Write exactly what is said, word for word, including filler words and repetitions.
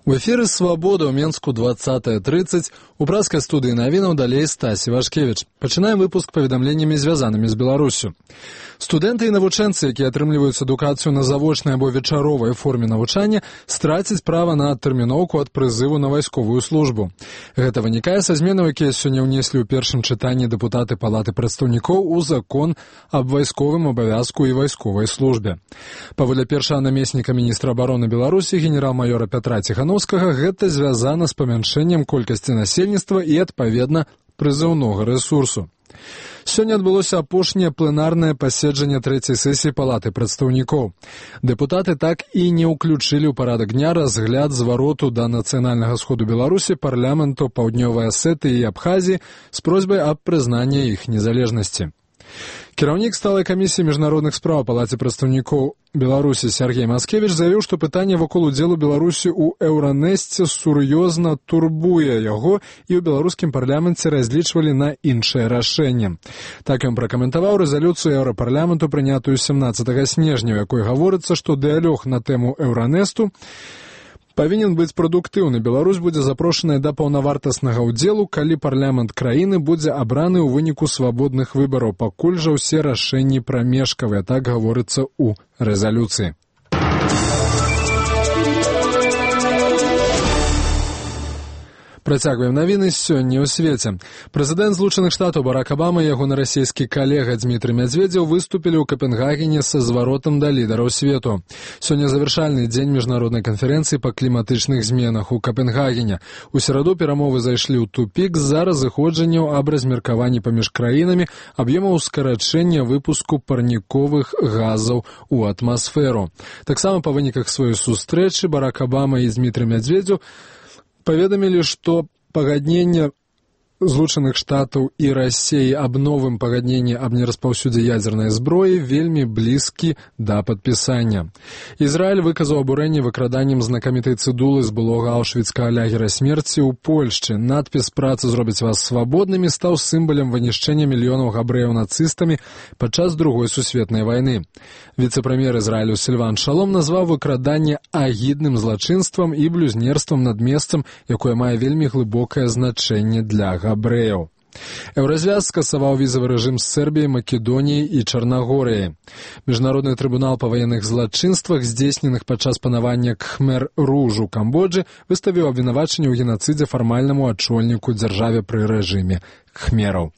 В эфіры «Свабода» ў Менску двадцатая тридцать. У праскай студыі навінаў далей Стасі Вашкевіч. Пачынаем выпуск паведамленнямі, звязанымі з Беларусю. Студэнты і навучэнцы, якія атрымліваюць адукацыю на завочнай або вечаровай форме навучання, страцяць права на адтэрміноўку ад прызыву на вайсковую службу. Гэта вынікае са зменаў, якія сёння ўнеслі ў першым чытанні дэпутаты Палаты прадстаўнікоў у закон аб вайсковым абавязку і вайсковай службе. Паводле першага намесніка міністра абароны Беларусі генерал-майора Пятра Ціхановскага, гэта звязана з памяншэннем колькасці насельніцтва і, адпаведна, прызыўнога рэсурсу. Сёння адбылося апошняе пленарнае паседжанне трэцяй сесіі Палаты прадстаўнікоў. Дэпутаты так і не ўключылі ў парадак дня разгляд звароту да нацыянальнага сходу Беларусі парламенту Паўднёвай Асетыі і Абхазіі з просьбай аб прызнанні іх незалежнасці. Кіраўнік сталай камісіі міжнародных спраў Палаце прадстаўнікоў Беларусі Сергей Маскевіч заявіў, што пытанне вакол удзелу Беларусі ў Еўранэсце сур'ёзна турбуе яго, і ў беларускім парламенце разлічвалі на іншае рашэнне. Так ён пракаментаваў рэзалюцыю Еўрапарламенту, прынятую сямнаццатага снежня, у якой гаворыцца, што дыялог на тэму Еўранэсту павінен быць прадуктыўны. Беларусь будзе запрошаная да паўнавартаснага ўдзелу, калі парламент краіны будзе абраны ў выніку свабодных выбараў. Пакуль жа ўсе рашэнні прамежкавыя, так гаворыцца ў рэзалюцыі. Працягваем навіны сёння ў свеце. Прэзідэнт Злучаных Штатаў Барак Абама і ягоны расійскі калега Дзмітрый Мядзведзеў выступілі ў Капенгагене са зваротам да лідараў свету. Сёння завяршальны дзень міжнароднай канферэнцыі па кліматычных зменах у Капенгагене. У сераду перамовы зайшлі ў тупік з-за разыходжанняў аб размеркаванні паміж краінамі аб'ёмаў скарачэння выпуску парніковых газаў у атмасферу. Таксама па выніках сваёй сустрэчы Барак Абама і Дзмітрый Мядзведзеў паведамілі, што пагадненне Злучаных Штатаў і Расіі аб новым пагадненні аб нераспаўсюдзе ядзернай зброі вельмі блізкі да падпісання. Ізраіль выказаў абурэнне выкраданнем знакамітай цыдулы з былога аўшвіцкага лагера смерці ў Польшчы. Надпіс «Праца зробіць вас свабоднымі» стаў сімвалам вынішчэння мільёнаў габрэяў нацыстамі падчас Другой сусветнай вайны. Віцэ-прэм'ер Ізраілю Сільван Шалом назваў выкраданне агідным злачынствам і блюзнерствам над месцам, якое мае вельмі глыбокае значэнне для габрэяў. Еўразвяз скасаваў візавы рэжым з Сербіяй, Македоніяй і Чарнагорыяй. Міжнародны трыбунал па ваенных злачынствах, здзейсненых падчас панавання Кхмер-Руж у Камбоджы, выставіў абвінавачанне ў генацыдзе фармальнаму ачольніку дзяржаве пры рэжыме Кхмераў.